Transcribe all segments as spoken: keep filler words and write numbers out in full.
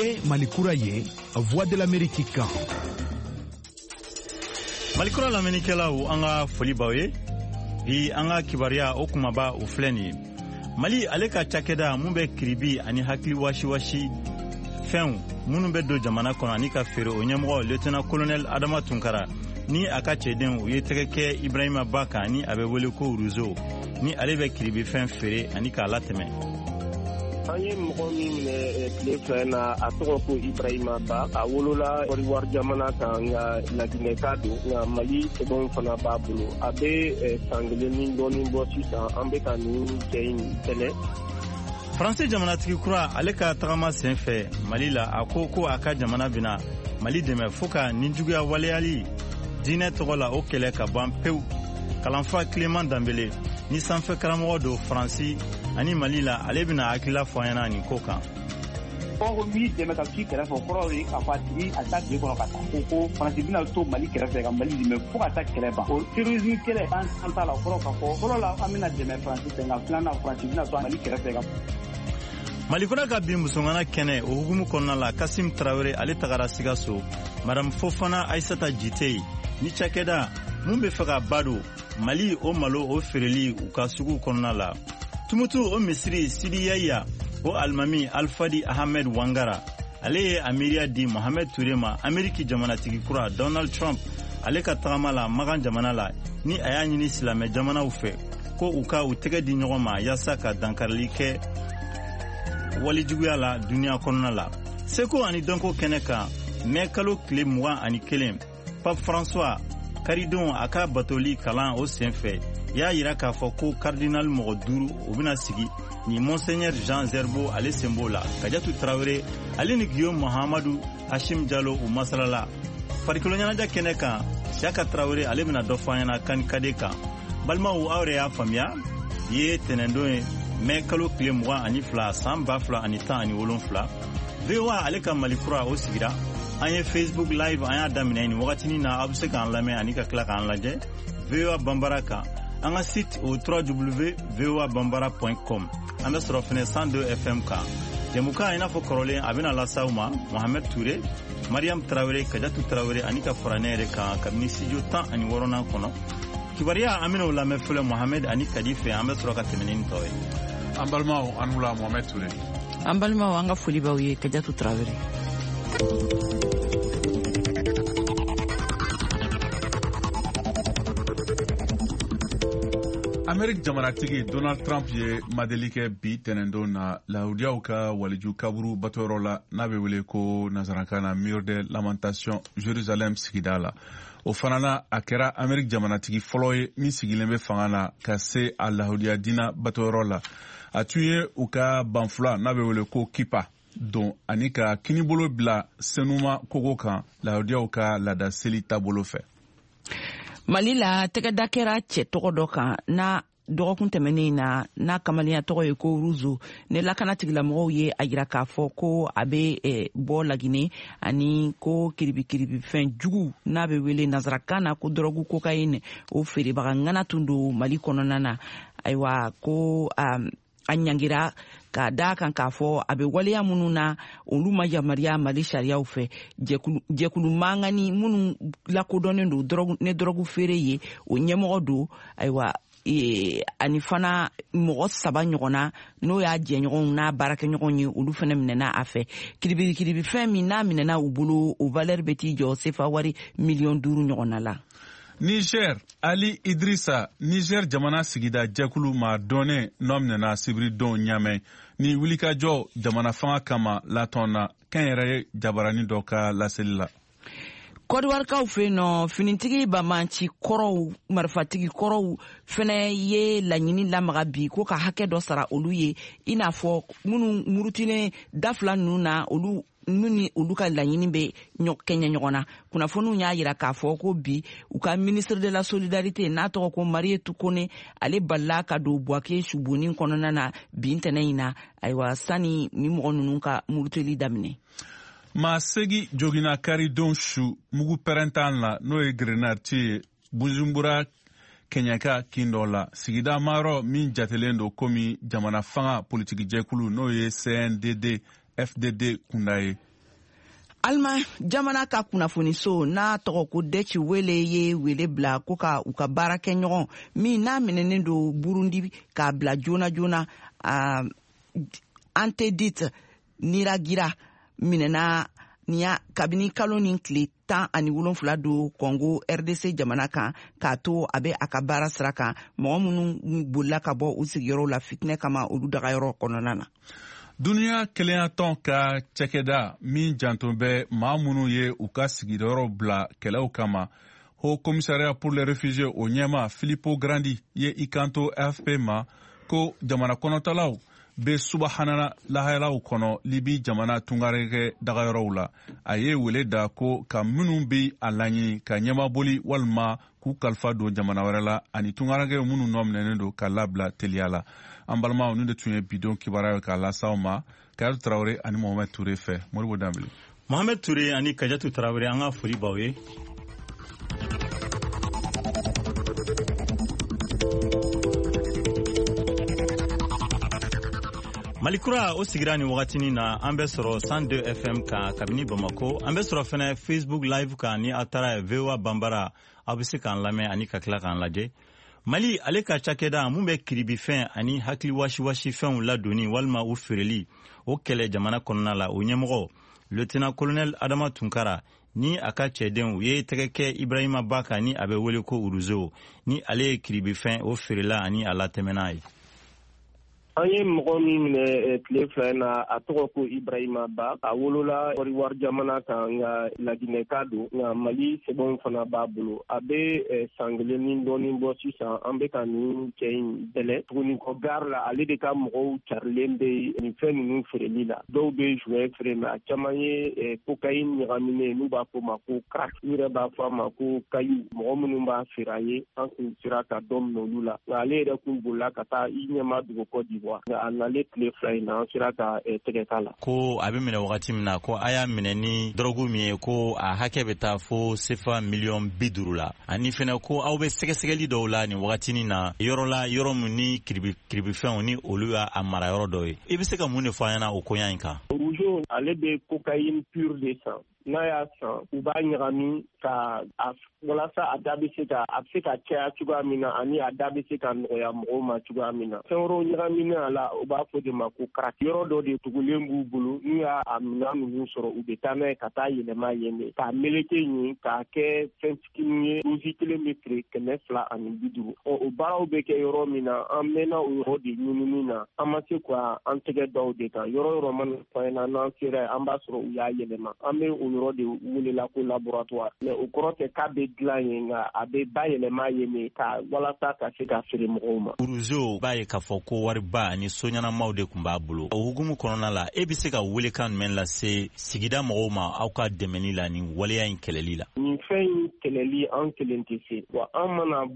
Nin ye Mali kura ye, Voix de l'Amérique kan. Malikura lamɛnnikɛlaw, an ka foli b'aw ye. Bi, an ka kibaruya o kumaba o filɛ nin ye: Mali ale ka cakɛda mun bɛ kiribi ani hakili wasiwasi fɛnw minnu bɛ don jamana kɔnɔ ani ka feere, o ɲɛmɔgɔ lieutenant colonel Adama Tunkara ni a ka cɛdenw, u ye tɛgɛ kɛ Ibrahima Ba kan, ni a bɛ wele ko Ruzo, ni ale bɛ kiribifɛn feere ani k'a latɛmɛ. An ye mɔgɔ min minɛ tile fila na, a tɔgɔ ko Ibrahima Ba. A wolola Kɔdiwari jamana kan, nka Laginɛka don, nka Mali sɛbɛnw fana b'a bolo. A bɛ san kelen ni dɔɔnin bɔ sisan an bɛ ka nin cɛ in kɛlɛ. Faransi jamanatigi kura ale ka tagama sen fɛ Mali la, a ko ko a ka jamana bɛna Mali dɛmɛ fo ka nijuguya waleyali diinɛ tɔgɔ la, o kɛlɛ ka ban pewu. Kalanfa Kileman Danbele ni sanfɛ karamɔgɔ don Faransi ani Mali la, ale bɛna hakilila fɔ an ɲɛna nin ko kan. Ko b'i dɛmɛ ka k'i kɛrɛfɛ, o kɔrɔ ye k'a fɔ a tigi a taa tile kɔnɔ ka taa ko ko Faransi bɛna to Mali kɛrɛfɛ ka Mali dɛmɛ fo ka taa kɛlɛ ban, o terrorisme kɛlɛ an an t'a la. O kɔrɔ k'a fɔ fɔlɔ la, an bɛna dɛmɛ Faransi fɛ, nka filanan, Faransi bɛna to Mali kɛrɛfɛ ka Malikura ka bin musongana kɛnɛ o hukumu kɔnɔna la, Kasim Tarawele ale tagara Sikaso, Madame Fofana Aisata Jite ni cakɛda mun bɛ fɛ ka ba don Mali o malo o feereli u ka sugu kɔnɔna la. Tumutu o misiri Sidi Yaya o alimami Alfadi Ahmed Wangara, ale ye a miiriya di Mohamed Ture ma Ameriki jamanatigi kura Donald Trump ale ka tagama la Magan jamana la, ni a y'a ɲini silamɛ jamanaw fɛ ko u ka u tɛgɛ di ɲɔgɔn ma yaasa ka dankarili kɛ walijuguya la duniɲa kɔnɔna la. Seko ani dɔnko kɛnɛ kan, mɛ kalo tile mugan ani kelen, Pape François karidon a ka batoli kalan o senfɛ y'a yira k'a fɔ ko cardinal mɔgɔ duuru o bɛna sigi, ni Monseigneur Jean Zerbo ale sen b'o la. Kajatu Tarawele ale ni Guillaume Mahamadu Hashim Jalo u masalala. Farikolo ɲɛnajɛ kɛnɛ kan, Siaka Tarawele ale bɛna dɔ fɔ an ɲɛna kan kade kan. Balimaw, aw yɛrɛ y'a faamuya, ye tɛnɛndon ye, mɛ kalo tile mugan ani fila san ba fila ani tan ani wolonfila. V O A ale ka Mali kura o sigira. An ye Facebook Live an y'a daminɛ nin wagatinin na. Aw bɛ se k'an lamɛn ani ka tila k'an lajɛ V O A Banbara kan, an ka site o w w w voa bambara com. An bɛ sɔrɔ fɛnɛ cent deux F M kan. Jɛmukan i n'a fɔ kɔrɔlen, a bɛna lase aw ma Mohamɛd Ture, Mariam Tarawele, Kajatu Tarawele ani ka fara ne yɛrɛ kan kabini studio tan ani wɔɔrɔnan kɔnɔ. Kibaruya, an bɛn'o lamɛn fɔlɔ Mohamɛd ani Kadi fɛ, an bɛ sɔrɔ ka tɛmɛ ni nin tɔ ye. An balimaw, an wula. Mohamɛd Ture. An balimaw, an ka foli b'aw ye. Kajatu Tarawele. Amerik jamanatigi Donald Trump ye madeli kɛ bi tɛnɛndon na lahudiyaw ka waliju kaburu batoyɔrɔ la, n'a bɛ wele ko nansarakan na Mur de Lamentation, Jerusalem sigida la. O fana na, a kɛra Amerik jamanatigi fɔlɔ ye min sigilen bɛ fanga na ka se a lahudiya dina batoyɔrɔ la. A tun ye u ka banfula n'a bɛ wele ko kipa don ani ka kinibolo bila senuma kogo kan, lahudiyaw ka laada seli taabolo fɛ. Mali la, tɛgɛda kɛra cɛ tɔgɔ dɔ kan n'a dɔgɔkun tɛmɛnen na, n'a kamalenya tɔgɔ ye ko Ruzo, ni lakana tigilamɔgɔw ye a yira k'a fɔ ko a bɛ eh, bɔ Lagine ani ko kiribikiribifɛn jugu n'a bɛ wele nansarakan na ko dɔrɔgu cocaïne, o feerebaga ŋana tun don Mali kɔnɔna na. Ayiwa, ko um, a ɲangira ka da kan k'a fɔ a bɛ waleya minnu na, olu ma yamaruya Mali sariyaw fɛ. Jɛkulu mangani minnu lakodɔnnen don ne dɔrɔgu feere ye, o ɲɛmɔgɔ don. Ayiwa, e, ani fana mɔgɔ saba ɲɔgɔnna, n'o y'a jɛɲɔgɔnw n'a baarakɛɲɔgɔnw ye, olu fana minɛna a fɛ. Kiribikiribifɛn min n'a minɛna u bolo, o valeur bɛ t'i jɔ sefa wari miliyɔn duuru ɲɔgɔnna la. Niger, Ali Idrissa, Niger jamana sigida jɛkulu maa dɔnnen nɔ minɛna sibiridon Ɲamɛ ni wulikajɔ jamana fanga kama latɔn na, kɛnyɛrɛye jabarani dɔ ka laseli la. Kɔdiwarikaw fɛ yen nɔ, finitigi bamanci kɔrɔw, marifatigi kɔrɔw fɛnɛ ye laɲini lamaga bi ko ka hakɛ dɔ sara olu ye, i n'a fɔ minnu murutilen da fila ninnu na, olu minnu ni olu ka laɲini bɛ kɛɲɛ ɲɔgɔn na. Kunnafoniw y'a yira k'a fɔ ko bi, u ka ministre de la Solidarité n'a tɔgɔ ko Marietou Kone, ale balila ka don Buwake subonni kɔnɔna na bi ntɛnɛn in na, ayiwa, sani ni mɔgɔ ninnu ka muruteli daminɛ. Maa segi jogina karidon su mugu pɛrɛntan la, n'o ye grenade ye, Bujumbura kɛɲɛka kin dɔ la, sigida mayɔrɔ min jatelen don komi jamana fanga politikijɛkulu, n'o ye C N D D F D D kunda ye. Alima jamana ka kunnafoniso n'a tɔgɔ ko Deutsche Welle ye wele bila ko ka u ka baarakɛɲɔgɔn min n'a minɛnen don Burundi k'a bila joona joona, uh, Antedit Niragira minɛna niya kabini kalo ni tile tan ani wolonfila don Congo R D C jamana kan, k'a to a bɛ a ka baara sira kan, mɔgɔ minnu bolila ka bɔ u sigiyɔrɔw la fitinɛ kama olu dagayɔrɔ kɔnɔna na. Duniya kelenyatɔn ka cakɛda min janto bɛ maa minnu ye u ka sigiyɔrɔ bila kɛlɛw kama, Haut Commissariat pour les réfugiés o ɲɛma Filippo Grandi ye i kanto A F P ma ko jamana kɔnɔtalaw bɛ subahana lahalaw kɔnɔ Libi jamana tungaranke dagayɔrɔw la. A ye wele da ko ka minnu bɛ a laɲini ka ɲɛmaboli walima k'u kalifa don jamana wɛrɛ la ani tungaranke minnu nɔ minɛnen don ka labila teliya la. An balimaw, nin de tun ye bidon kibaruya ye k'a las'aw ma Kayatu Tarawele ani Mohamed Toure fɛ. Moribo Danbele. Mohamed Toure ani Kajatu Tarawele, an ka foli b'aw ye. Malikura o sigira ni wagatinin na, an bɛ sɔrɔ cent deux F M kan kabini Bamako, an bɛ sɔrɔ fɛnɛ Facebook Live kan ni aw taara V O A Banbara, aw bɛ se k'an lamɛn ani ka tila k'an lajɛ. Mali ale ka cakɛda mun bɛ kiribifɛn ani hakili wasiwasifɛnw ladonni walima u feereli o kɛlɛ jamana kɔnɔna la, o ɲɛmɔgɔ Lieutenant Colonel Adama Tunkara ni a ka cɛdenw ye tɛgɛ kɛ Ibrahima Ba kan ni a bɛ wele ko Uruzo, ni ale ye kiribifɛn o feerela ani a latɛmɛna ye. An ye mɔgɔ min minɛ tile fila in na, a tɔgɔ ko Ibrahima Ba. A wolola Kɔdiwari jamana kan, nka Laginɛka don, nka Mali sɛbɛnw fana b'a bolo. A bɛ san kelen ni dɔɔnin bɔ sisan, an bɛ ka nin cɛ in bɛlɛ tuguni kɔ gare la. Ale de ka mɔgɔw carilen bɛ nin fɛn ninnu feereli la. Dɔw bɛ joint feere, mais a caman ye cocaïne ɲagaminen, n'u b'a fɔ o ma ko crack, u yɛrɛ b'a fɔ a ma ko caillou. Mɔgɔ minnu b'a feere a ye, an kun sera ka dɔ minɛ olu la, nka ale yɛrɛ kun bolila ka taa i ɲɛma dugu Côte d'Ivoire. A nalen tile fila in na, an sera ka tɛgɛ k'a la. Ko a bɛ minɛ wagati min na, ko a y'a minɛ ni dɔrɔgu min ye, ko a hakɛ bɛ taa fo sefa miliyɔn bi duuru la, ani fɛnɛ ko aw bɛ sɛgɛsɛgɛli dɔw la nin wagatinin na yɔrɔ la, yɔrɔ min ni kiribi kiribifɛnw ni olu y'a mara yɔrɔ dɔ ye. I bɛ se ka mun de fɔ an ɲɛna o koɲa in kan? Rougeau ale bɛ cocaïne pure de san. N'a y'a san, u b'a ɲagami ka a walasa a da bɛ se ka a bɛ se ka caya cogoya min na, ani a da bɛ se ka nɔgɔya mɔgɔw ma cogoya min na. Fɛn wɛrɛw ɲagaminen a la, u b'a fɔ de ma ko crack. Yɔrɔ dɔ de tugulen b'u bolo, n'u y'a a minɛn ninnu sɔrɔ, u bɛ taa n'a ye ka taa yɛlɛma yen de, k'a meleke yen, k'a kɛ fɛn fitinin ye. Dosi kelen bɛ feere kɛmɛ fila ani bi duuru. Ɔ o baaraw bɛ kɛ yɔrɔ min na, an mɛnna o yɔrɔ de ɲinini na, an ma se ka an tɛgɛ da o de kan. Yɔrɔ yɔrɔ mana fɔ an ɲɛna, n'an sera yen, an b'a sɔrɔ u y'a yɛlɛma. An bɛ o yɔrɔ de welela ko laboratoire, mais o kɔrɔ tɛ k'a bɛ dilan yen, nka a bɛ bayɛlɛma yen de ka walasa ka se ka feere mɔgɔw ma. Uruzo b'a ye k'a fɔ ko wariba ani so ɲɛnamaw de tun b'a bolo. O hukumu kɔnɔna la, e bɛ se ka welekan jumɛn lase sigida mɔgɔw ma aw ka dɛmɛni la nin waleya in kɛlɛli la? Nin fɛn in kɛlɛli, an kelen tɛ se wa, an mana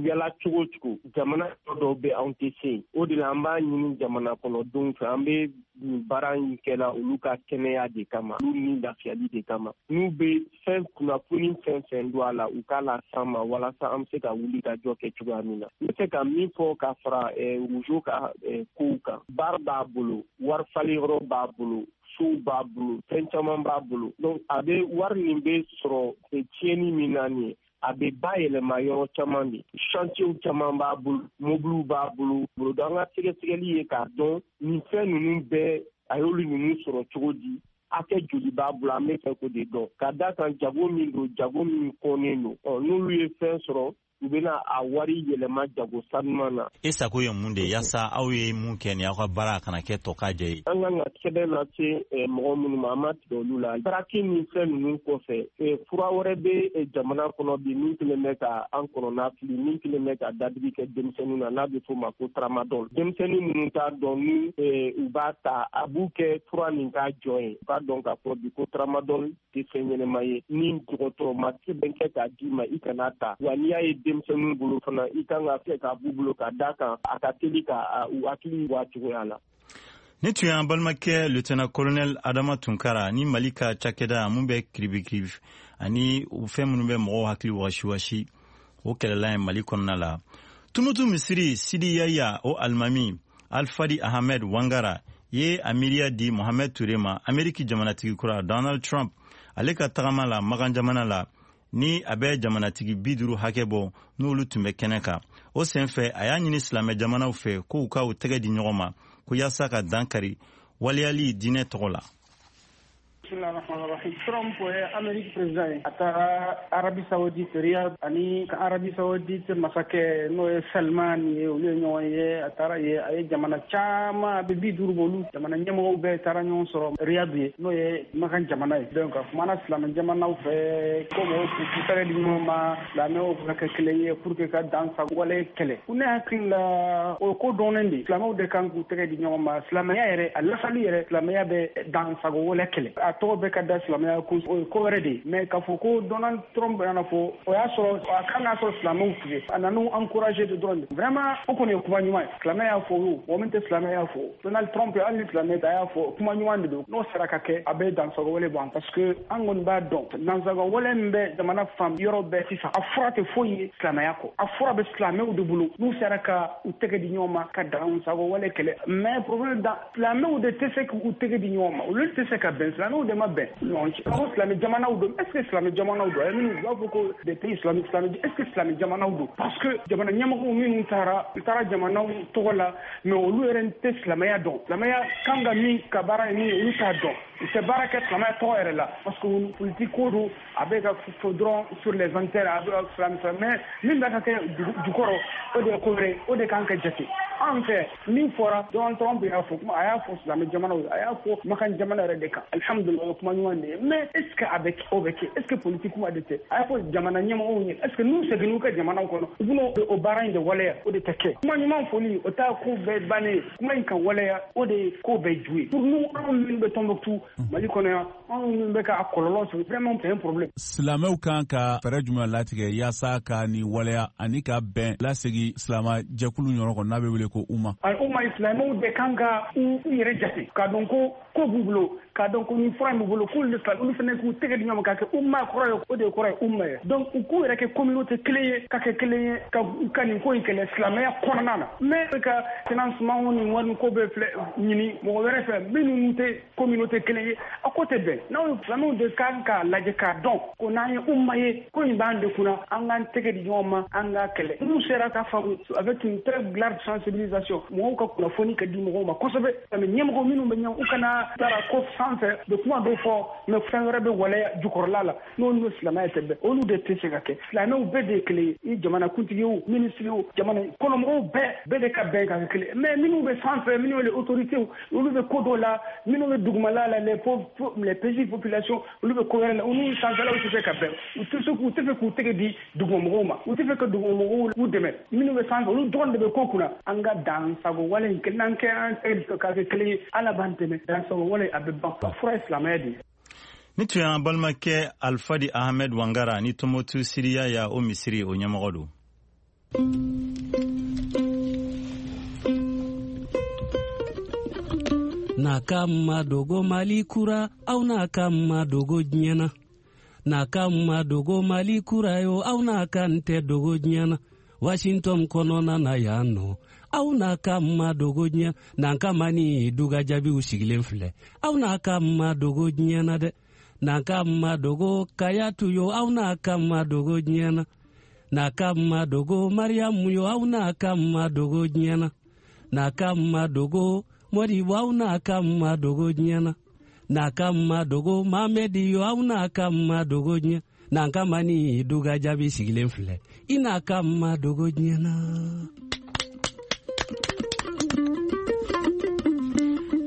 yala cogo cogo, jamana dɔw bɛ anw tɛ se. O de la an b'a ɲini jamana kɔnɔdenw fɛ, an bɛ nin baara in kɛla olu ka kɛnɛya de kama, olu ni lafiyali de kama. N'u bɛ fɛn kunnafoni fɛn fɛn don a la, u k'a las'an ma walasa an bɛ se ka wuli ka jɔ kɛ cogoya min na. N bɛ se ka min fɔ ka fara Rougeau ka kow kan, baara b'a bolo, wari falen yɔrɔ b'a bolo, sow b'a bolo, fɛn caman b'a bolo. Donc a bɛ wari nin bɛ sɔrɔ tiɲɛni min na nin ye, a bɛ bayɛlɛma yɔrɔ caman de, chantier caman b'a bolo, mobiliw b'a bolo. Donc an ka sɛgɛsɛgɛli ye k'a dɔn nin fɛn ninnu bɛɛ a y'olu ninnu sɔrɔ cogo di, hakɛ joli b'a bolo, an bɛ fɛ k'o de dɔn. Ka d'a kan jago min don, jago min kɔnnen don, ɔ n'olu ye fɛn sɔrɔ, u bɛna a wari yɛlɛma jago sanuman na. E sago ye mun de ye yaasa aw ye mun kɛ ni aw ka baara kana kɛ tɔ k'a jɛ ye? An kan ka sɛbɛn lase mɔgɔ minnu ma, an ma tigɛ olu la. Baraki ni fɛn ninnu kɔfɛ, fura wɛrɛ bɛ jamana kɔnɔ bi min kelen bɛ ka an kɔnɔna fili, min kelen bɛ ka dadigi kɛ denmisɛnninw na, n'a bɛ f'o ma ko tramadol. Denmisɛnnin minnu t'a dɔn ni u b'a ta, a b'u kɛ fura nin k'a jɔn ye. U k'a dɔn k'a fɔ bi ko tramadol tɛ fɛn ɲɛnɛma ye, ni dɔgɔtɔrɔ ma sɛbɛn kɛ k'a d'i ma, i kana ta. Wa n'i y'a ye denmisɛnninw bolo fana, i kan ka fɛ k'a b'u bolo ka d'a kan a ka teli ka u hakili bɔ a cogoya la. Ni tun y'an balimakɛ lieutenant colonel Adama Tunkara ni Mali ka cakɛda mun bɛ kiribikiribi ani fɛn minnu bɛ mɔgɔw hakili wasiwasi o kɛlɛla ye Mali kɔnɔna la. Tumutu misiri Sidi Yaya o alimami Alfadi Ahmed Wangara ye a miiriya di Mohamed Toure ma, Ameriki jamanatigi kura Donald Trump Ale ka tagama la Makan jamana la, ni a bɛ jamanatigi bi duuru hakɛ bɔ, n'olu tun bɛ kɛnɛ kan. O senfɛ, a y'a ɲini silamɛ jamanaw fɛ k'u ka u tɛgɛ di ɲɔgɔn ma ko yaasa ka dan kari waleyali diinɛ tɔgɔ la. Trump ye Amérique président ye, a taara Arabie Saoudite Riyad ani ka Arabie Saoudite masakɛ, n'o ye Salman ye, olu ye ɲɔgɔn ye. A taara ye, a ye jamana caman, a bɛ bi duuru bɔ, olu jamana ɲɛmɔgɔw bɛɛ taara ɲɔgɔn sɔrɔ Riyad ye, n'o ye Makan jamana ye. Donc a kumana silamɛ jamanaw fɛ ko mɔgɔw k'u tɛgɛ di ɲɔgɔn ma, silamɛw ka kɛ kelen ye pour que ka dan sago wale kɛlɛ. Ne hakili la, o ko dɔnnen de, silamɛw de kan k'u tɛgɛ di ɲɔgɔn ma. Silamɛya yɛrɛ, a lasali yɛrɛ, silamɛya bɛ dan sago wale kɛlɛ. A tɔgɔ bɛ ka da silamɛya kun, o ye ko wɛrɛ de ye. Mais k'a fɔ ko Donald Trump nana fɔ, o y'a sɔrɔ a kan k'a sɔrɔ silamɛw tigɛ, a nan'u encourager de dɔrɔn de. Vraiment, o kɔni ye kuma ɲuman ye. Silamɛ y'a fɔ o, mɔgɔ min tɛ silamɛ y'a fɔ. Donald Trump, hali ni silamɛ tɛ, a y'a fɔ, kuma ɲuman de don. N'o sera ka kɛ, a bɛ dansago wale ban, parce que an kɔni b'a dɔn, dansago wale min bɛ jamana fan yɔrɔ bɛɛ sisan, a fura tɛ foyi ye silamɛya kɔ. A fura bɛ silamɛw de bolo, n'u sera ka u tɛgɛ di ɲɔgɔn ma ka dansago wale kɛlɛ. Mais problème da, silamɛw de tɛ se k'u tɛgɛ di ɲɔgɔn ma, olu tɛ se ka bɛn, silamɛw de ma bɛn ɲɔgɔn cɛ. Ko silamɛ jamanaw don, est ce que silamɛ jamanaw don? A ye minnu, u b'a fɔ ko des pays islamiques, silamɛ, est ce que silamɛ jamanaw don? Parce que jamana ɲɛmɔgɔw minnu taara, u taara jamanaw tɔgɔ la, mais olu yɛrɛ tɛ silamɛya dɔn. Silamɛya kan ka min ka baara ye min ye, olu t'a dɔn. U tɛ baara kɛ silamɛya tɔgɔ yɛrɛ la, parce que politique ko don, a bɛ ka fɔ dɔrɔn sur les intérêts, a bɛ silamɛ silamɛ, mais min bɛ ka kɛ jukɔrɔ, o de ye ko wɛrɛ, o de kan ka jate. An fɛ, min fɔra, Donald Trump y'a fɔ kuma, a y'a fɔ silamɛ jamanaw, a y'a fɔ Makan jamana yɛrɛ de kan. Alhamdulillah, o kuma ɲuman de ye. Mais est ce que a bɛ o bɛ kɛ? Est ce que politique kuma de tɛ? A y'a fɔ jamana ɲɛmɔgɔw ye, est ce que n'u seginn'u ka jamanaw kɔnɔ, u bɛn'o o baara in de waleya? O de tɛ kɛ. Kuma ɲuman fɔli, o t'a ko bɛɛ bannen ye. Kuma in ka waleya, o de ye ko bɛɛ ju ye. Pour nous, anw minnu bɛ Tombouctou, Mali kɔnɔ yan, anw minnu bɛ ka kɔlɔlɔ sɔrɔ, vraiment c'est un problème. Silamɛw kan ka fɛɛrɛ jumɛn latigɛ yaasa ka ni waleya ani ka bɛn lasegi silama jɛkulu ɲɔgɔn kɔnɔ, n'a bɛ wele ko UMA? UMA, silamɛw de kan ka u yɛrɛ jate k'a dɔn ko ko b'u bolo, k'a dɔn ko ni fura in b'u bolo, k'olu de olu fana k'u tɛgɛ di ɲɔgɔn ma ka kɛ UMA kɔrɔ ye, o de kɔrɔ ye UMA ye. Donc u k'u yɛrɛ kɛ communauté kelen ye, ka kɛ kelen ye, ka ka nin ko in kɛlɛ silamɛya kɔnɔna na. Mais ka financement ni wari ko bɛɛ filɛ ɲini mɔgɔ wɛrɛ fɛ minnu tɛ communauté kelen ye, a ko tɛ bɛn. N'aw silamɛw de kan k'a lajɛ k'a dɔn ko n'an ye UMA ye, ko in b'an de kunna, an k'an tɛgɛ di ɲɔgɔn ma, an k'a kɛlɛ. N'u sera ka faamu avec une très large sensibilisation, mɔgɔw ka kunnafoni ka di mɔgɔw ma kosɛbɛ. Mais ɲɛmɔgɔ minnu bɛ ɲɛ, u kana taara ko sanfɛ bɛ kuma dɔw fɔ, mais fɛn wɛrɛ bɛ waleya jukɔrɔla la, n'olu ni silamɛya tɛ bɛn, olu de tɛ se ka kɛ. Silamɛw bɛɛ de ye kelen ye, i jamana kuntigi o, minisiri o, jamana kɔnɔmɔgɔw bɛɛ bɛɛ de ka bɛn ka kɛ kelen. Mais minnu bɛ sanfɛ, minnu ye autorités, olu bɛ ko dɔw la, minnu bɛ dugumala la, les pauvres, les petites populations, olu bɛ ko wɛrɛ la, olu sanfɛlaw tɛ se ka bɛn. U tɛ se k'u tɛ fɛ k'u tɛgɛ di dugumamɔgɔw ma, u tɛ fɛ ka dugumamɔgɔw k'u dɛmɛ. Minnu bɛ sanfɛ, olu dɔrɔn de bɛ ko kunna. An ka dan sago wale in, n'an kɛ an tɛgɛ ka kɛ kelen ye, Ala b'an dɛmɛ, dan sago wale a bɛ ban. A fura ye silamɛya de ye. Ni tun y'an balimakɛ Alfadi Ahmed Wangara ni Tombouctou Siriya ya o misiri o ɲɛmɔgɔ don. N'a ka ma dogo Mali kura, aw n'a ka ma dogo diɲɛ na. N'a ka ma dogo Mali kura yo, aw n'a ka n tɛ dogo diɲɛ na. Washington kɔnɔna na yan nɔ, aw n'a ka ma dogo diɲɛ. N'an ka ma ni duga jaabiw sigilen filɛ, aw n'a ka ma dogo diɲɛ na dɛ. N'an ka ma dogo Kayatu yo, aw n'a ka ma dogo diɲɛ na. N'a ka ma dogo Mariamu yo, aw n'a ka ma dogo diɲɛ na. N'a ka ma dogo Modibo, aw n'a ka ma dogo diɲɛ na. N'a ka ma dogo Mamedi yo, aw n'a ka ma dogo diɲɛ. N'an ka ma ni duga jaabi sigilen filɛ, i n'a ka ma dogo diɲɛ na.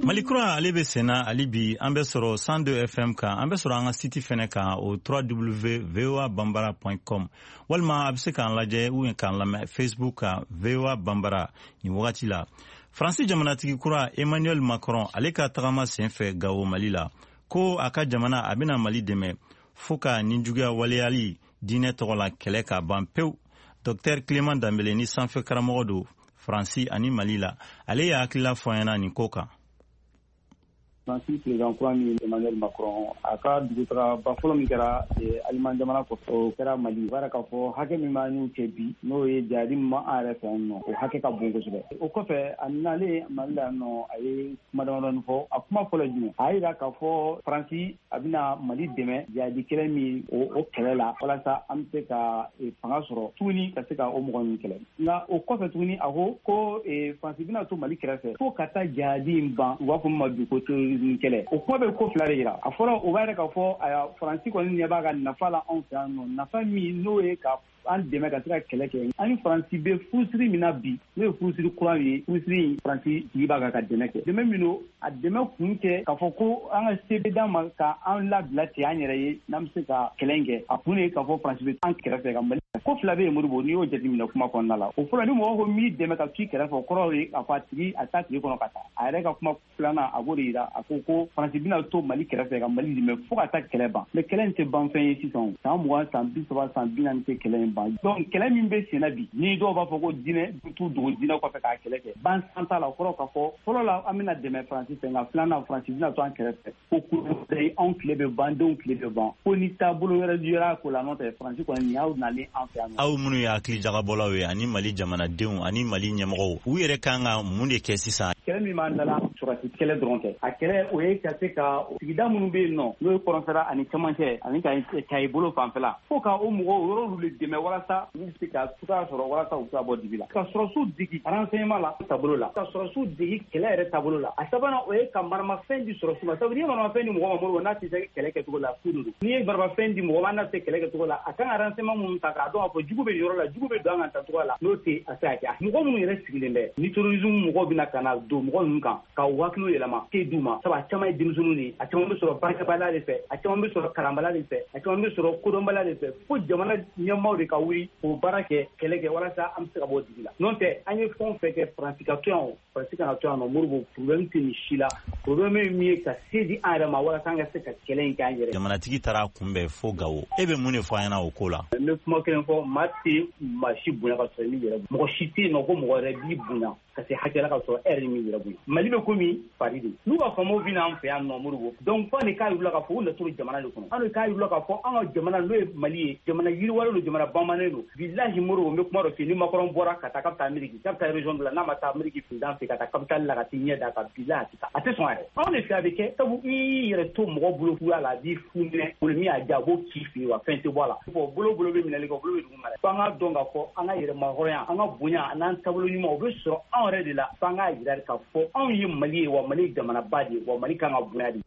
Mali kura ale bɛ senna hali bi, an bɛ sɔrɔ cent deux F M kan, an bɛ sɔrɔ an ka site fɛnɛ kan, o w w w point v o a bambara point com, walima a bɛ se k'an lajɛ ou k'an lamɛn Facebook kan V O A Bambara nin wagati la. Faransi jamanatigi kura Emmanuel Macron, ale ka tagama senfɛ Gawo Mali la, ko a ka jamana a bɛna Mali dɛmɛ fo ka ninjuguya waleyali diinɛ tɔgɔ la kɛlɛ ka ban pewu. Docteur Clément Dambélé ni sanfɛ karamɔgɔ don Faransi ani Mali la, ale y'a hakilila fɔ an ɲɛna nin ko kan. Faransi président kura min Emmanuel Macron, a ka dugutagaba fɔlɔ min kɛra Aliman jamana kɔfɛ, o kɛra Mali. O b'a k'a fɔ hakɛ min b'an n'u cɛ bi, n'o ye jadi min b'an yɛrɛ fɛ yan nɔ, o hakɛ ka bon kosɛbɛ. O kɔfɛ, a nalen Mali la yan nɔ, a ye kuma damadɔni fɔ. A kuma fɔlɔ jumɛn? A y'a jira k'a fɔ Faransi a bɛna Mali dɛmɛ jadi kɛlɛ min o kɛlɛ la, walasa an bɛ se ka fanga sɔrɔ tuguni ka se ka o mɔgɔ ninnu kɛlɛ. Nka o kɔfɛ tuguni, a ko ko Faransi bɛna to Mali kɛrɛfɛ fo ka taa jadi in ban, u b'a fɔ min ma bi ko terrorisme kɛlɛ. O kuma bɛ ko fila de jira. A fɔlɔ, o b'a yɛrɛ k'a fɔ Faransi kɔni ɲɛ b'a ka nafa la anw fɛ yan nɔ, nafa min n'o ye ka an dɛmɛ ka se ka kɛlɛ kɛ. Ani Faransi bɛ furusiri min na bi, n'o ye furusiri kura ye, furusiri in Faransi jigi b'a kan ka dɛmɛ kɛ. Dɛmɛ min don, a dɛmɛ kun tɛ k'a fɔ ko an ka se bɛ d'an ma ka an labila ten an yɛrɛ ye n'an bɛ se ka kɛlɛ in kɛ. A kun de ye k'a fɔ Faransi bɛ an kɛrɛfɛ ka Mali. Ko fila bɛ yen Modibo, n'i y'o jateminɛ kuma kɔnɔna la. O fɔlɔ, ni mɔgɔ ko m'i dɛmɛ ka t'i kɛrɛfɛ, o kɔrɔ ye k'a fɔ a tigi a t'a tigi kɔnɔ ka taa. A yɛrɛ ka kuma filanan, a b'o de jira. A ko ko Faransi bɛna to Mali kɛrɛfɛ ka Mali dɛmɛ fo ka taa kɛlɛ ban. Mais kɛlɛ in tɛ ban fɛn ye sisan. San mugan, san bi saba, san bi naani tɛ kɛlɛ in ban. Donc kɛlɛ min bɛ sen na bi, ni dɔw b'a fɔ ko diinɛ t'u dogo diinɛ kɔfɛ k'a kɛlɛ kɛ, ban san t'a la. O kɔrɔ k'a fɔ fɔlɔ la, an bɛna dɛmɛ Faransi fɛ, nka filanan Faransi bɛna to an kɛrɛfɛ ko ko anw tile bɛ ban, denw tile bɛ ban, ko ni taabolo wɛrɛ yera ko la, n'o tɛ Faransi kɔni nin y'aw nalen an fɛ yan. Aw minnu ye hakili jagabɔlaw ye, ani Mali jamanadenw ani Mali ɲɛmɔgɔw, u yɛrɛ kan ka mun de kɛ sisan? Kɛlɛ min b'an da la, sɔrɔdasi kɛlɛ dɔrɔn tɛ. A kɛlɛ o ye ka se ka sigida minnu bɛ yen nɔ, n'o ye kɔrɔnfɛla ani cɛmancɛ ani ka Kayi bolo fanfɛla, fo ka o mɔgɔw yɔrɔw de dɛmɛ walasa u bɛ se ka cogoya sɔrɔ walasa u bɛ se ka bɔ dibi la. Ka sɔrɔdasiw degi renseignement la taabolo la, ka sɔrɔdasiw degi kɛlɛ yɛrɛ taabolo la. A sabanan, o ye ka maramafɛn di sɔrɔdasiw ma. Sabu n'i ye maramafɛn di mɔgɔ ma, Modibo, n'a tɛ se kɛlɛ kɛcogo la, fu de don. N'i ye maramafɛn di mɔgɔ ma, n'a tɛ se kɛlɛ kɛcogo la, a kan ka renseignement minnu ta k'a dɔn k'a fɔ jugu bɛ yɔrɔ la, jugu bɛ don an kan tacogo la, n'o tɛ a se ka kɛ. Mɔgɔ minnu yɛrɛ sigilen bɛ ni terrorisme mɔgɔw bɛna ka na don mɔgɔ ninnu kan ka u hakiliw yɛlɛma te d'u ma, sabu a caman ye denmisɛnninw de ye, a caman bɛ sɔrɔ baarakɛbaliya de fɛ, a caman bɛ sɔrɔ kalanbaliya de fɛ, a caman bɛ sɔrɔ kodɔnbaliya de fɛ. Fo jamana ɲɛmaaw de ka wuli k'o baara kɛ, kɛlɛ kɛ walasa an bɛ se ka bɔ dibi la. N'o tɛ, an ye fɛn o fɛn kɛ, Faransi ka to yan o, Faransi kana to yan nɔ, Modibo, problème tɛ nin si la. Problème ye min ye, ka se di an yɛrɛ ma walasa an ka se ka kɛlɛ in kɛ an yɛrɛ. Jamanatigi taara kunbɛn fo Gawo, e bɛ mun de fɔ an ɲɛna o ko la? N bɛ kuma kelen fɔ, maa tɛ maa si bonya ka sɔrɔ i m'i yɛrɛ bonya. Mɔgɔ si tɛ yen nɔ ko mɔgɔ wɛrɛ b'i bonya ka se hakɛ la ka sɔrɔ e yɛrɛ m'i yɛrɛ bonya. Mali bɛ komi Paris de, n'u ka faamaw bɛ n'an fɛ yan nɔ, Modibo, donc fo de k'a yir'u la k'a fɔ u natɔ jamana de kɔnɔ. An de k'a yir'u la k'a fɔ an ka jamana n'o ye Mali ye, jamana yiriwalen don, jamana bamannen don. Bilahi Modibo, n bɛ kuma dɔ f'i ye, ni Macron bɔra ka taa k'a bɛ taa Amérique, k'a bɛ taa région dɔ la, n'a ma taa Amérique président fɛ ka taa capitale la ka t'i ɲɛ d'a kan, bilahi a tɛ taa, a tɛ sɔn yɛrɛ. Anw de fɛ a bɛ kɛ, sabu i y'i yɛrɛ to mɔgɔ bolo fuya la, a b'i fu minɛ, bolo min y'a diya a b'o k'i fɛ yen, wa fɛn tɛ bɔ a la. Bon, bolo bolo bɛ minɛli kɛ, bolo bɛ dugu ma dɛ. Fo an k'a dɔn k'a fɔ an ka yɛrɛmahɔrɔnya, an ka bonya an'an taabolo ɲuman, o bɛ sɔrɔ anw yɛrɛ de la. Fo an k'a jira k'a fɔ anw ye Mali ye, wa Mali ye jamanaba de ye, wa Mali kan ka bonya de.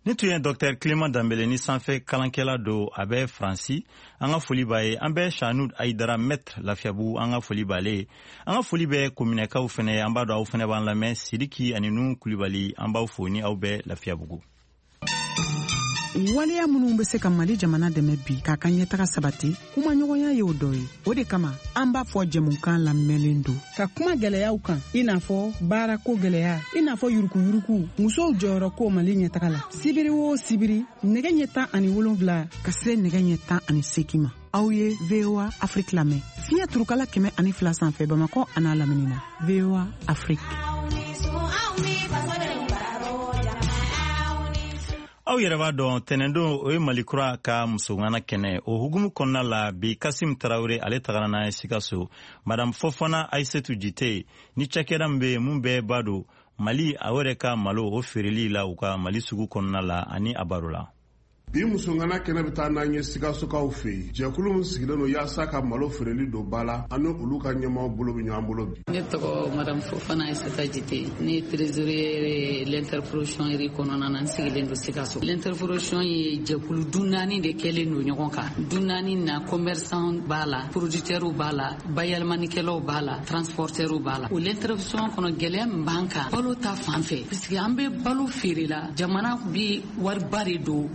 Ni tun ye Docteur Clément Danbele ni sanfɛ kalankɛla don, a bɛ Faransi. An ka foli b'a ye. An bɛ Sanud Ayidara, maître Lafiyabugu, an ka foli b'ale ye. An ka foli bɛ kominɛkaw fɛnɛ ye, an b'a dɔn aw fɛnɛ b'an lamɛn. Sidiki ani Nu Kulibali, an b'aw fo ni aw bɛ Lafiyabugu. Waleya minnu bɛ se ka Mali jamana dɛmɛ bi k'a ka ɲɛtaga sabati, kumaɲɔgɔnya y'o dɔ ye. O de kama an b'a fɔ jɛmukan lamɛnlen don ka kuma gɛlɛyaw kan, i n'a fɔ baarako gɛlɛya, i n'a fɔ yurukuyuruku, musow jɔyɔrɔ ko Mali ɲɛtaga la. Sibiri o sibiri, nɛgɛ ɲɛ tan ani wolonfila ka se nɛgɛ ɲɛ tan ani seegin ma, aw ye V O A Afrique lamɛn fiɲɛ turukala kɛmɛ ani fila sanfɛ Bamakɔ an'a lamini na. V O A Afrique. Aw yɛrɛ b'a dɔn, tɛnɛndon o ye Mali kura ka musoŋana kɛnɛ. O hukumu kɔnɔna la bi, Kasim Tarawele ale tagara n'a ye Sikaso, Madame Fofana Ayisetu Jite ni cakɛda min bɛ yen mun bɛɛ b'a don Mali a yɛrɛ ka malo o feereli la u ka Mali sugu kɔnɔna la ani a baro la. Bi musoŋana kɛnɛ bɛ taa n'an ye Sikasokaw fɛ yen. Jɛkulu min sigilen don yaasa ka malo feereli don ba la, ani olu ka ɲɛmaaw bolo bɛ ɲɔgɔn bolo bi. Ne tɔgɔ Madame Fofana Aïssata Jite, ne ye trésorière l'interprofession yɛrɛ kɔnɔna na, n sigilen don Sikaso. L'interprofession ye jɛkulu du naani de kɛlen don ɲɔgɔn kan. Du naani na, commerçant b'a la, producteur b'a la, bayɛlɛmanikɛlaw b'a la, transporteur b'a la. O l'interprofession kɔnɔ, gɛlɛya min b'an kan balo ta fan fɛ, puisque an bɛ balo feere la, jamana bi wariba de don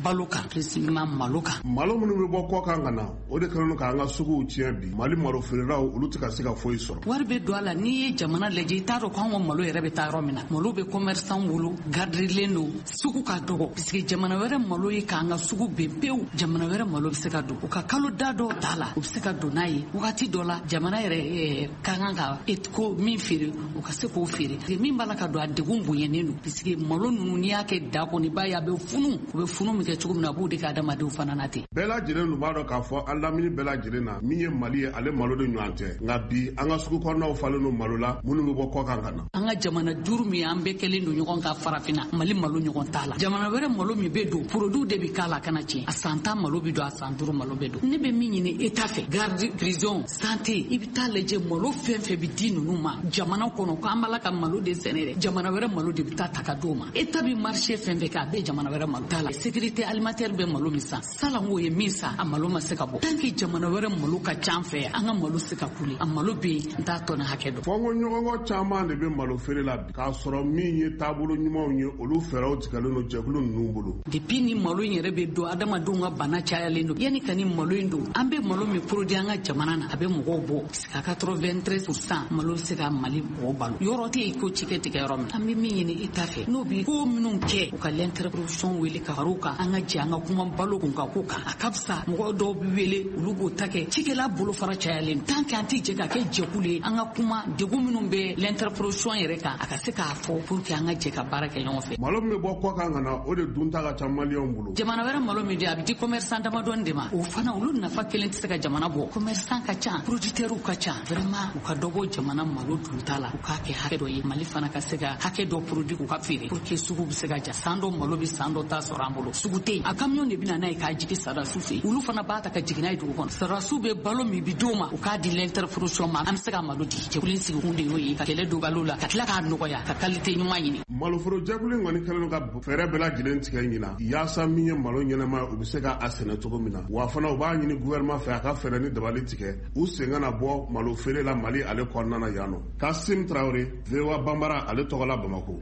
balo kan, précisément malo kan. Malo minnu bɛ bɔ kɔ kan ka na, o de kɛlen don k'an ka suguw tiɲɛ bi. Mali malo feerelaw olu tɛ ka se ka foyi sɔrɔ. Wari bɛ don a la, n'i ye jamana lajɛ i t'a dɔn k'an ka malo yɛrɛ bɛ taa yɔrɔ min na. Malo bɛ commerçant bolo, gardelen don, sugu ka dɔgɔ puisque jamana wɛrɛ malo ye k'an ka sugu ben pewu. Jamana wɛrɛ malo bɛ se ka don, u ka kalo da dɔw t'a la, u bɛ se ka don n'a ye wagati dɔ la. Jamana yɛrɛ ka kan ka ko min feere, u ka se k'o feere. Min b'a la ka don, a degun bonyanen don puisque malo ninnu n'i y'a kɛ da kɔnɔ, i b'a ye a bɛ funu. U bɛ funu min kɛ cogo min na, a b'o de kɛ adamadenw fana na ten. Bɛɛ lajɛlen dun b'a dɔn k'a fɔ an lamini bɛɛ lajɛlen na min ye Mali ye, ale malo de ɲɔgɔn tɛ. Nka bi an ka sugu kɔnɔnaw falen don malo la minnu bɛ bɔ kɔ kan ka na. An ka jamana duuru min an bɛɛ kɛlen don ɲɔgɔn kan farafinna, Mali malo ɲɔgɔn t'a la. Jamana wɛrɛ malo min bɛ don, produit de bɛ k'a la kana tiɲɛ. A san tan malo bɛ don, a san duuru malo bɛ don. Ne bɛ min ɲini État fɛ, garde, prison, santé, i bɛ taa lajɛ malo fɛn fɛn bɛ di ninnu ma jamana kɔnɔ, k'an b'a la ka malo de sɛnɛ dɛ, jamana wɛrɛ malo de bɛ taa ta ka d'o ma. État bɛ marché fɛn fɛn kɛ, a bɛɛ jamana wɛrɛ malo t'a la. Sécurité alimentaire bɛ malo min san, salanko ye min san, a malo ma se ka bɔ. Tant que jamana wɛrɛ malo ka ca an fɛ yan, an ka malo se ka kule. A malo bɛ yen, n t'a tɔnɔ hakɛ dɔn. Fɔnkɔ ɲɔgɔnkɔ caman de bɛ malo feere la bi, k'a sɔrɔ min ye taabolo ɲumanw ye, olu fɛɛrɛw tigɛlen don jɛkulu ninnu bolo. Depuis ni malo in yɛrɛ bɛ don, adamadenw ka bana cayalen don. Yanni ka ni malo in don, an bɛ malo min produit an ka jamana na, a bɛ mɔgɔw bɔ quatre-vingt-treize pour cent malo bɛ se ka Mali mɔgɔw balo. Yɔrɔ tɛ yen ko cikɛ tigɛ yɔrɔ min. An bɛ min ɲini État fɛ, n'o bɛ ko minnu kɛ, u ka l'interprofession wele ka far'u kan, an ka jɛ an ka kuma balo kun kan ko kan. A ka fisa mɔgɔ dɔw bɛ wele, olu b'o ta kɛ. Cikɛla bolofara cayalen, tant que an tɛ jɛ ka kɛ jɛkulu ye, an ka kuma degun minnu bɛ l'interprofession yɛrɛ kan, a ka se k'a fɔ pour que an ka jɛ ka baara kɛ ɲɔgɔn fɛ. Malo min bɛ bɔ kɔ kan ka na, o de dunta ka ca maliyɛnw bolo. Jamana wɛrɛ malo min di, a bɛ di commerçant damadɔni de ma. O fana olu nafa kelen tɛ se ka jamana bɔ. Commerçant ka ca, producteurs ka ca, vraiment u ka dɔ bɔ jamana malo dunta la, u k'a kɛ hakɛ dɔ ye. Mali fana ka se ka hakɛ dɔ produit k'u ka feere pour que sugu bɛ se ka ja. San dɔ malo bɛ san dɔ ta sɔrɔ an bolo, sugu tɛ yen. A camion de bɛ na n'a ye k'a jigin sarasiw fɛ, olu fana b'a ta ka jigin n'a ye dugu kɔnɔ. Sarasiw bɛ balo min bi d'o ma, u k'a di l'interprofession ma, an bɛ se ka malo di. Jɛkulu in sigikun de y'o ye, ka kɛlɛ don balo la, ka tila k'a nɔgɔya, ka qualité ɲuman ɲini. Maloforo jɛkulu in kɔni kɛlen don ka fɛɛrɛ bɛɛ lajɛlen tigɛ ɲina yaasa min ye malo ɲɛnama ye, u bɛ se ka a sɛnɛ cogo min na. Wa fana u b'a ɲini gouvernement fɛ a ka fɛɛrɛ ni dabali tigɛ u sen kana bɔ malo feere la Mali ale kɔnɔna na yan nɔ. Kasim Traoré, V O A Bambara, ale tɔgɔ la Bamako.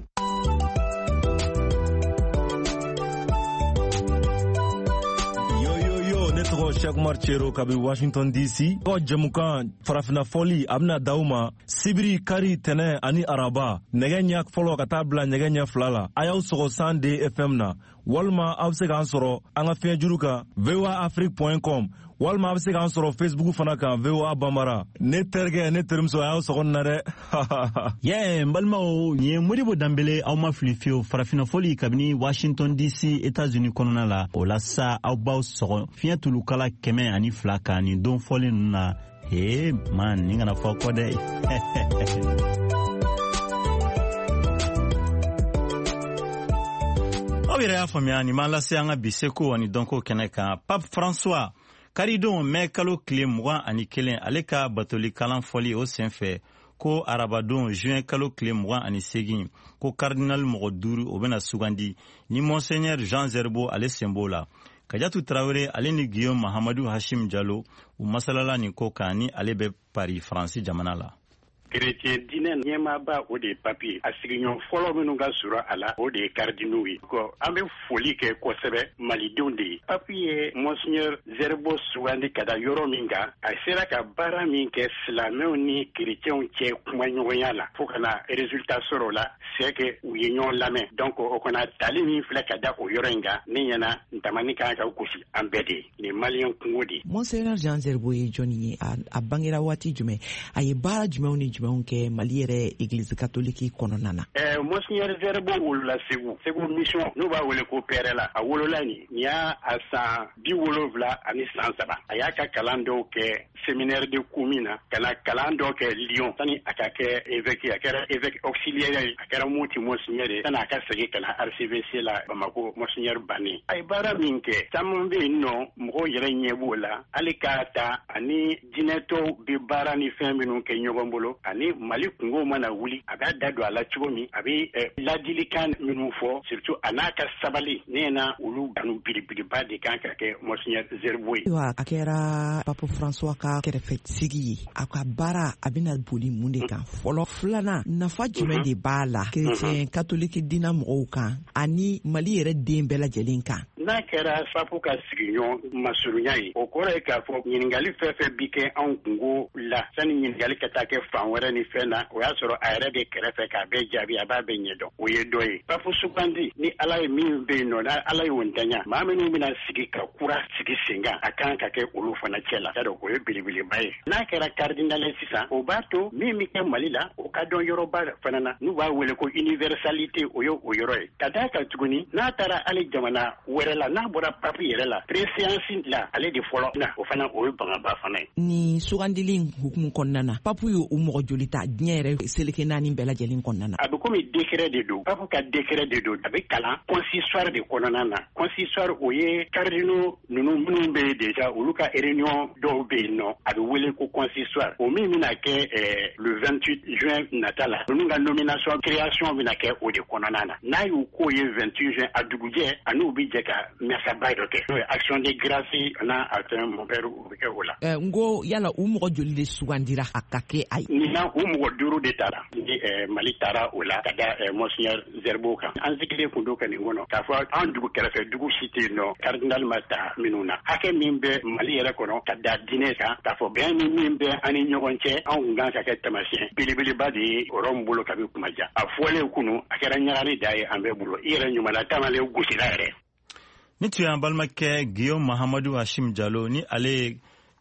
Tɔgɔ Cheikh Umar Cero kabi Washington D C. Tɔgɔ jɛmukan farafinna fɔli a bɛna d'aw ma sibiri, kari, tɛnɛ ani araba, nɛgɛ ɲɛ fɔlɔ ka taa bila nɛgɛ ɲɛ fila la. A y'aw sɔgɔ cent deux F M na, walima aw bɛ se k'an sɔrɔ an ka fiɲɛjuru kan V O A Afrique point com, walima a bɛ se k'an sɔrɔ Facebook fana kan V O A Bambara. Ne terikɛ, ne terimuso, a y'aw sɔgɔ nin na dɛ. Yɛ, n balimaw, nin ye Modibo Danbele, aw ma fili fiyewu. Farafinna fɔli kabini Washington D C, États-Unis kɔnɔna la. O la sa, aw b'aw sɔgɔ fiɲɛ tulukala kɛmɛ ani fila kan nin don fɔlen ninnu na. Ee man, nin kana fɔ kɔ dɛ. Aw yɛrɛ y'a faamuya, nin b'an lase an ka bi seko ani dɔnko kɛnɛ kan. Pape François, karidon mɛ kalo tile mugan ani kelen, ale ka batoli kalan fɔli o senfɛ ko arabadon juin kalo tile mugan ani segin, ko cardinal mɔgɔ duuru o bɛna sugandi ni Monseigneur Jean Zerbo ale sen b'o la. Kajatu Traoré ale ni Guillaume Mahamadu Hashim Jalo u masalala nin ko kan, ni ale bɛ Paris, Faransi jamana la. Chrétien diinɛ ɲɛmaaba, o de ye papi. A sigiɲɔgɔn fɔlɔ minnu ka sɔrɔ a la, o de ye cardinaux ye. An bɛ foli kɛ kosɛbɛ malidenw de ye. Papi ye Monseigneur Zerbo sugandi ka da yɔrɔ min kan, a sera ka baara min kɛ silamɛw ni chrétienw cɛ kumaɲɔgɔnya la, fo ka na résultat sɔrɔ o la, c'est que u ye ɲɔgɔn lamɛn. Donc o kɔnɔ tali min filɛ ka da o yɔrɔ in kan, ne ɲɛna ntamani kan ka gosi an bɛɛ de ye. Nin maliyɛn kungo de ye. Monseigneur Jean Zerbo ye jɔnni ye? A bangera waati jumɛn? A ye baara jumɛnw ni jumɛnw kɛ Mali yɛrɛ église catholique kɔnɔna na? Eh, Monseigneur Zerbo wolola Segu, Segu mission, n'u b'a wele ko Pɛrɛla. A wolola nin, nin y'a a san bi wolonwula ani san saba. A y'a ka kalan dɔw kɛ séminaire de Koumi na, ka na kalan dɔw kɛ Lyon, sani a ka kɛ évêque. A kɛra évêque auxiliaire ye, a kɛra Moti Monseigneur ye, sani a ka segin ka na archevêché la Bamako, Monseigneur Bané. A ye baara min kɛ, caman bɛ yen nɔ, mɔgɔw yɛrɛ ɲɛ b'o la, hali k'a ta ani jinɛtɔw bɛ baara ni fɛn minnu kɛ ɲɔgɔn bolo. Ani Mali kungo mana wuli, a b'a da don a la cogo min, a bɛ ladilikan minnu fɔ, surtout a n'a ka sabali, ne na olu kanu belebeleba de kan ka kɛ Monseigneur Zerbo ye. Ayiwa, a kɛra Pape François ka kɛrɛfɛsigi ye, a ka baara a bɛna boli mun de kan fɔlɔ? Filanan, nafa jumɛn de b'a la chrétien catholique diinɛ mɔgɔw kan ani Mali yɛrɛ den bɛɛ lajɛlen kan? N'a kɛra papu ka sigiɲɔgɔn masurunya ye, o kɔrɔ ye k'a fɔ ɲininkali fɛn fɛn bi kɛ anw kungo la, sani ɲininkali ka taa kɛ fan wɛrɛ ni fɛn na, o y'a sɔrɔ a yɛrɛ bɛ kɛrɛfɛ k'a bɛɛ jaabi, a b'a bɛɛ ɲɛdɔn. O ye dɔ ye. Papu sugandi ni Ala ye min bɛ yen nɔ, n'a Ala y'o ntanya, maa minnu bɛna sigi ka kura sigi sen kan, a kan ka kɛ olu fana cɛ la. Y'a dɔn, o ye belebeleba ye. N'a kɛra cardinal ye sisan, o b'a to min bɛ kɛ Mali la, o ka dɔn yɔrɔba fana na, n'u b'a wele ko universalité, o ye o yɔrɔ ye. Ka d'a kan tuguni, n'a taara hali jamana wɛrɛ la, n'a bɔra papu yɛrɛ la, préséance la, ale de fɔlɔ na, o fana o ye bangaba fana ye. Ni sugandili in hukumu kɔnɔna na, papu ye o mɔgɔ joli ta diɲɛ yɛrɛ seleke naani bɛɛ lajɛlen kɔnɔna na? A bɛ komi décret de don, papu ka décret de don, a bɛ kalan consistoire de kɔnɔna na. Consistoire, o ye cardinaux ninnu minnu bɛ yen déjà, olu ka réunion dɔw bɛ yen nɔ, a bɛ wele ko consistoire. O min bɛna kɛ le vingt-huit juin nata la, ninnu ka nomination création bɛna kɛ o de kɔnɔna na. N'a y'u k'o ye vingt-huit juin, a dugujɛ a n'u bɛ jɛ ka masaba dɔ kɛ, n'o ye action de grâce n'a a fɛn mon père, o bɛ kɛ o la. N ko yala u mɔgɔ joli de sugandira a ka kɛ a ye? Nin na, u mɔgɔ duuru de taara ni Mali taara o la ka da Monseigneur Zerbo kan. An sigilen kun don ka nin kɔnɔ k'a fɔ an dugu kɛrɛfɛ dugu si tɛ yen nɔ cardinal ma ta minnu na. Hakɛ min bɛ Mali yɛrɛ kɔnɔ ka da diinɛ kan, k'a fɔ bɛn ni min bɛ an ni ɲɔgɔn cɛ, anw kun kan ka kɛ taamasiyɛn belebeleba de ye o yɔrɔ min bolo kabi kuma ja. A fɔlen kunu, a kɛra ɲagali da ye an bɛɛ bolo. I yɛrɛ ɲuman tamalen gosira yɛrɛ. Ni tun y'an balimakɛ Guillaume Mahamadu Hashim Jalo, ni ale ye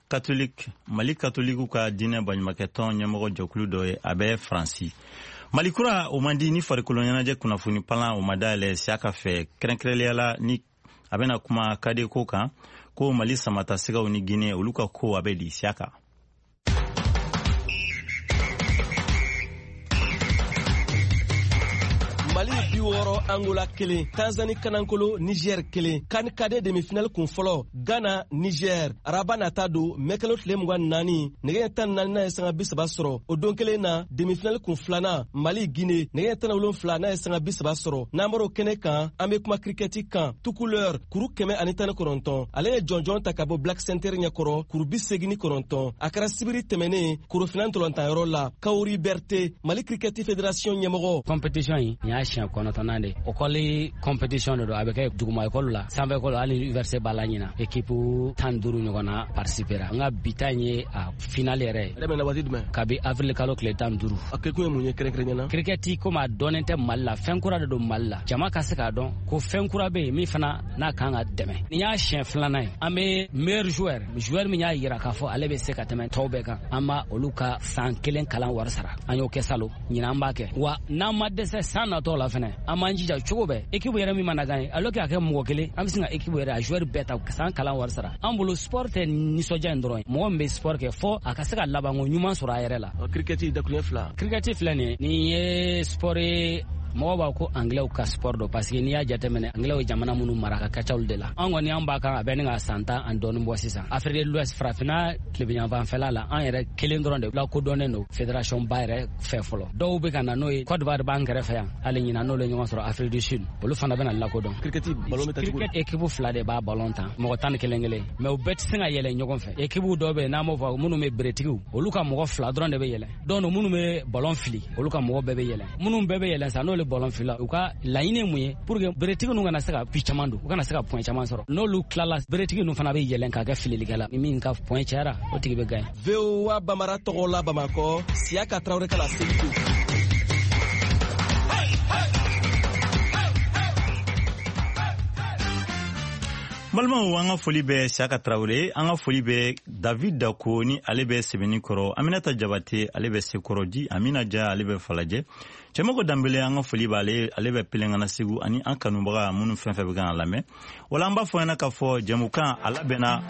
catholique, Mali catholique ka diinɛ baɲumankɛtɔn ɲɛmɔgɔ jɛkulu dɔ ye, a bɛ Faransi. Mali kura o man di ni farikolo ɲɛnajɛ kunnafoni palan o ma dayɛlɛ Siyaka fɛ, kɛrɛnkɛrɛnnenya la ni a bɛna kuma kade ko kan, ko Mali samatasigaw ni Guinée olu ka ko a bɛ di Siyaka. Mali bi wɔɔrɔ, Angola kelen, Tanzanie kanankolo, Niger kelen. CAN cadet demi-finale kun fɔlɔ, Ghana Niger, araba nata don mɛkalo tile mugan ni naani, nɛgɛ ɲɛ tan ni naani n'a ye sanga bi saba sɔrɔ. O don kelen na, demi-finale kun filanan, Mali Guinée, nɛgɛ ɲɛ tan ni wolonfila n'a ye sanga bi saba sɔrɔ. N'an bɔr'o kɛnɛ kan, an bɛ kuma kirikɛti kan. Tukuleur kuru kɛmɛ ani tan ni kɔnɔntɔn, ale ye jɔnjɔn ta ka bɔ Black Center ɲɛkɔrɔ kuru bi seegin ni kɔnɔntɔn. A kɛra sibiri tɛmɛnen korofina ntolantanyɔrɔ la. Kawuri Berte, Mali Cricket Fédération ɲɛmɔgɔ. Compétition in, nin y'a siɲɛ kɔnɔntɔnnan de. École compétition de don, a bɛ kɛ duguma école la, sanfɛ école, hali université b'a la ɲina. Équipe tan duuru ɲɔgɔn na participera. An ka bi ta in ye a finale yɛrɛ ye. A daminɛna waati jumɛn? Kabi avril kalo tile tan duuru. A kɛkun ye mun ye kɛrɛnkɛrɛnnenya la? Cricket komi a dɔnnen tɛ Mali la, fɛn kura de don Mali la. Jama ka se k'a dɔn ko fɛn kura bɛ yen min fana n'a kan ka dɛmɛ. Nin y'a siɲɛ filanan ye. An bɛ meilleur joueur, joueur min y'a yira k'a fɔ ale bɛ se ka tɛmɛ tɔw bɛɛ kan, an b'a olu ka san kelen kalan wari sara. An y'o kɛ salon, ɲinan an b'a kɛ. Wa n'an ma dɛsɛ san natɔ la fɛnɛ, an b'an jija cogo bɛɛ. Équipe yɛrɛ min mana gagner, alors que a kɛ mɔgɔ kelen, an bɛ sin ka équipe yɛrɛ a joueur bɛɛ ta san kalan wari sara. An bolo sport tɛ nisɔndiya in dɔrɔn ye. Mɔgɔ min bɛ sport kɛ fɔ a ka se ka labanko ɲuman sɔrɔ a yɛrɛ la. Cricket dakuruɲɛ fila. Cricket filɛ nin ye, nin ye sport ye, mɔgɔw b'a ko anglais ka sport don, parce que n'i y'a jateminɛ anglais ye jamana minnu mara ka ka ca olu de la. An kɔni an b'a kan a bɛ ni ka san tan ani dɔɔni bɔ sisan. Afrique de l'Ouest, farafinna tilebinyanfanfɛla la, an yɛrɛ kelen dɔrɔn de lakodɔnnen don fédération ba yɛrɛ fɛ fɔlɔ. Dɔw bɛ ka na n'o ye, Côte d'Ivoire b'an kɛrɛfɛ yan, hali ɲinan n'olu ye ɲɔgɔn sɔrɔ Afrique du Sud, olu fana bɛna lakodɔn. Cricket ballon bɛ ta cogo di? Cricket équipe fila de b'a ballon ta, mɔgɔ tan ni kelen kelen, mais u bɛɛ tɛ se ka yɛlɛ ɲɔgɔn fɛ. Équipe dɔw bɛ yen n'an b'o fɔ minnu bɛ beretigiw, olu ka mɔgɔ fila dɔrɔn de bɛ yɛlɛ. Dɔw minnu bɛ ballon fili, olu ka mɔgɔ bɛɛ bɛ yɛlɛ. Minnu bɛɛ bɛ yɛlɛ sa, n'olu ballon fila, u ka laɲini ye mun ye pour que beretigi ninnu kana se ka bi caman don, u kana se ka point caman sɔrɔ. N'olu tilala, beretigi ninnu fana bɛ yɛlɛn ka kɛ fililikɛla, ni min ka point cayara, o tigi bɛ gagner. V O A Bamara tɔgɔ la Bamakɔ, Siyaka Tarawele ka laseli don. Balimaw, an ka foli bɛ Siyaka Tarawele, an ka foli bɛ David Dako ni ale bɛ Sɛbɛnni kɔrɔ, Aminata Jabate ale bɛ Sekɔrɔji, Amina Ja ale bɛ Falajɛ, Cɛmɔgɔ Danbele an ka foli b'ale, ale bɛ Pelengana Segu, ani an kanubaga minnu fɛn fɛn bɛ k'an lamɛn. Wala an b'a fɔ ɲɛna k'a fɔ jɛmukan a labɛnna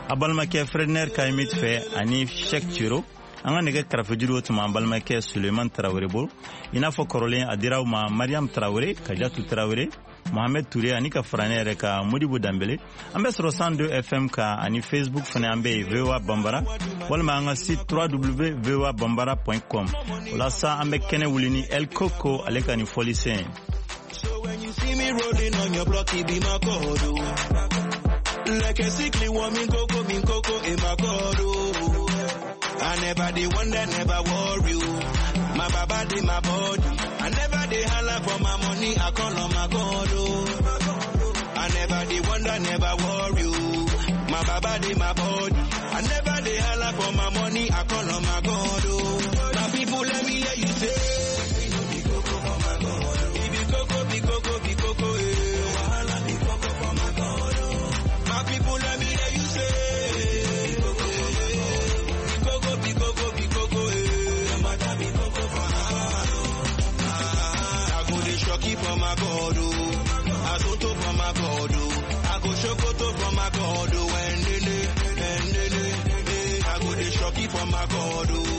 a balimakɛ Fredner Kayimit fɛ ani Cheikh Ciro. An ka nɛgɛ karafejuru o tuma an balimakɛ Suleiman Tarawele bolo. I n'a fɔ kɔrɔlen a dira aw ma Mariam Tarawele, Kajatu Tarawele, Mohamed Touré ani ka fara ne yɛrɛ ka Modibo Danbele. An bɛ sɔrɔ cent deux F M kan ani Facebook fana an bɛ yen V O A Bambara walima an ka site w w w point voa bambara point com. O la sa an bɛ kɛnɛ wuli ni El Coco ale ka nin fɔlisen ye. So when you see me rolling on your block, it be my God, oh. Like a sickly woman, coco, min coco, in my God, oh. I never the one that never worry, oh. My baba did my body. I never dey holla for my money, I call on my God, oh. I never the one that never worry, oh. My baba did my body. I never dey holla for my money, I call on my God, oh. My people, let me hear you say. For my God, oh. I soto for my God, oh. I go shokoto for my God, oh. And nene, and nene, I go the shocky for my God, oh.